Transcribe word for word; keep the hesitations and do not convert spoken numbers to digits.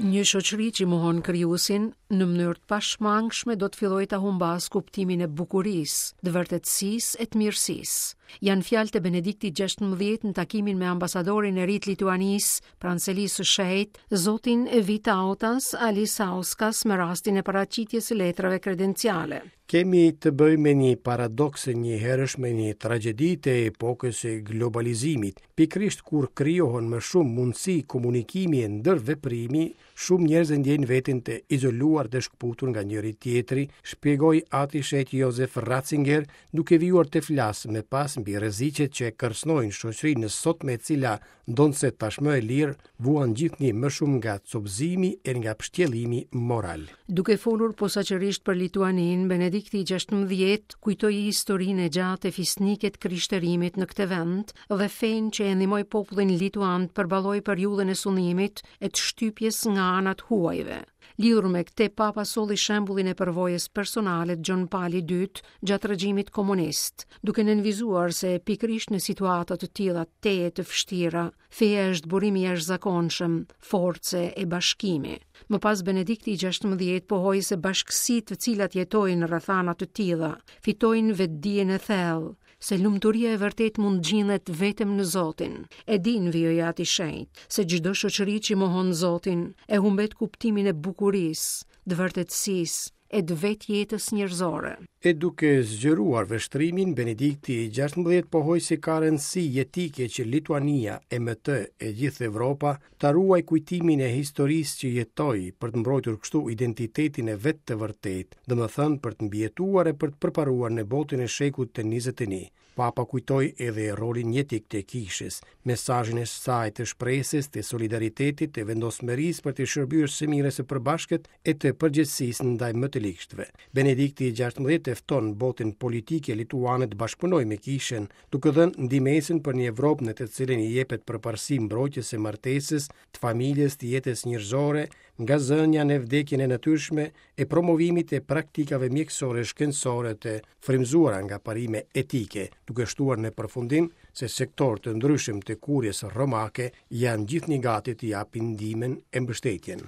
Një shoqëri që mohon krijuesin në mënyrë të pashmangshme do të fillojë ta humbasë kuptimin e bukurisë, të vërtetësisë e të mirësisë. Janë fjalët e Benediktit gjashtëmbëdhjetë në takimin me ambasadorin e ri të Lituanisë pranë selisë së shenjtë, zotin Vitautas Alisauskas, me rastin e paraqitjes së letrave kredenciale. Kemi të bëjmë me një paradoks e njëherësh me një tragjedi të epokës së globalizimit. Pikërisht kur krijohen më shumë mundësi komunikimi e ndërveprimi, shumë njerëz e ndjejnë veten të izoluar dhe shkëputur nga njëri tjetri, shpjegoi Ati i Shenjtë Josef Ratzinger, duke vijuar të flasë më pas mbi rreziqet që e kërcënojnë shoqërinë e sotme, e cila, ndonëse tashmë e lirë, vuan gjithnjë më shumë nga copëzimi e nga pështjellimi moral. Duke folur posaçërisht për Lituaninë, Benedikti i gjashtëmbëdhjetë kujtoi historinë e gjatë e fisnike të krishterimit në këtë vend dhe fenë që e ndihmoi popullin lituan të përballojë periudhën e sundimit e të shtypjes nga ana të huajve. Lidhur me këtë, Papa solli shembullin e përvojës personale të Gjon Palit të Dytë gjatë regjimit komunist, duke nënvizuar se pikërisht në situata të tilla tejet të vështira, feja është burim i jashtëzakonshëm, force e bashkimi. Më pas Benedikti i gjashtëmbëdhjetë pohoi se bashkësitë të cilat jetojnë në rrethana të tilla fitojnë vetëdijen e thellë se lumturia e vërtetë mund të gjendet vetëm në Zotin. E din, vijoi Ati i Shenjtë, se çdo shoqëri që mohon Zotin e humbet kuptimin e bukurisë, të vërtetësisë e të vetë jetës njerëzore. E duke zgjeruar vështrimin, Benedikti i gjashtëmbëdhjetë pohoi se ka rëndësi jetike që Lituania e me të e gjithë Evropa ta ruaj kujtimin e historisë që jetoi për të mbrojtur kështu identitetin e vet të vërtetë, domethënë për të mbijetuar e për të përparuar në botën e shekullit të njëzet e një. Papa kujtoi edhe rolin jetik të kishës, mesazhin e saj të shpresës, të solidaritetit, të vendosmërisë për të shërbyer së mirës së përbashkët e të përgjegjësisë ndaj më të ligshtëve. Benedikti i gjashtëmbëdhjetë e fton botën politike lituane të bashkëpunojë me kishën, duke dhënë ndihmesën për një Evropë në të cilën i jepet përparësi mbrojtjes së martesës, të familjes, të jetës njerëzore, nga zënia në vdekjen e natyrshme e promovimit të praktikave mjekësore shkencore të frymëzuara nga parime etike, duke shtuar në përfundim se sektorë të ndryshëm të kurjes romake janë gjithnjë gati të japin ndihmën e mbështetjen.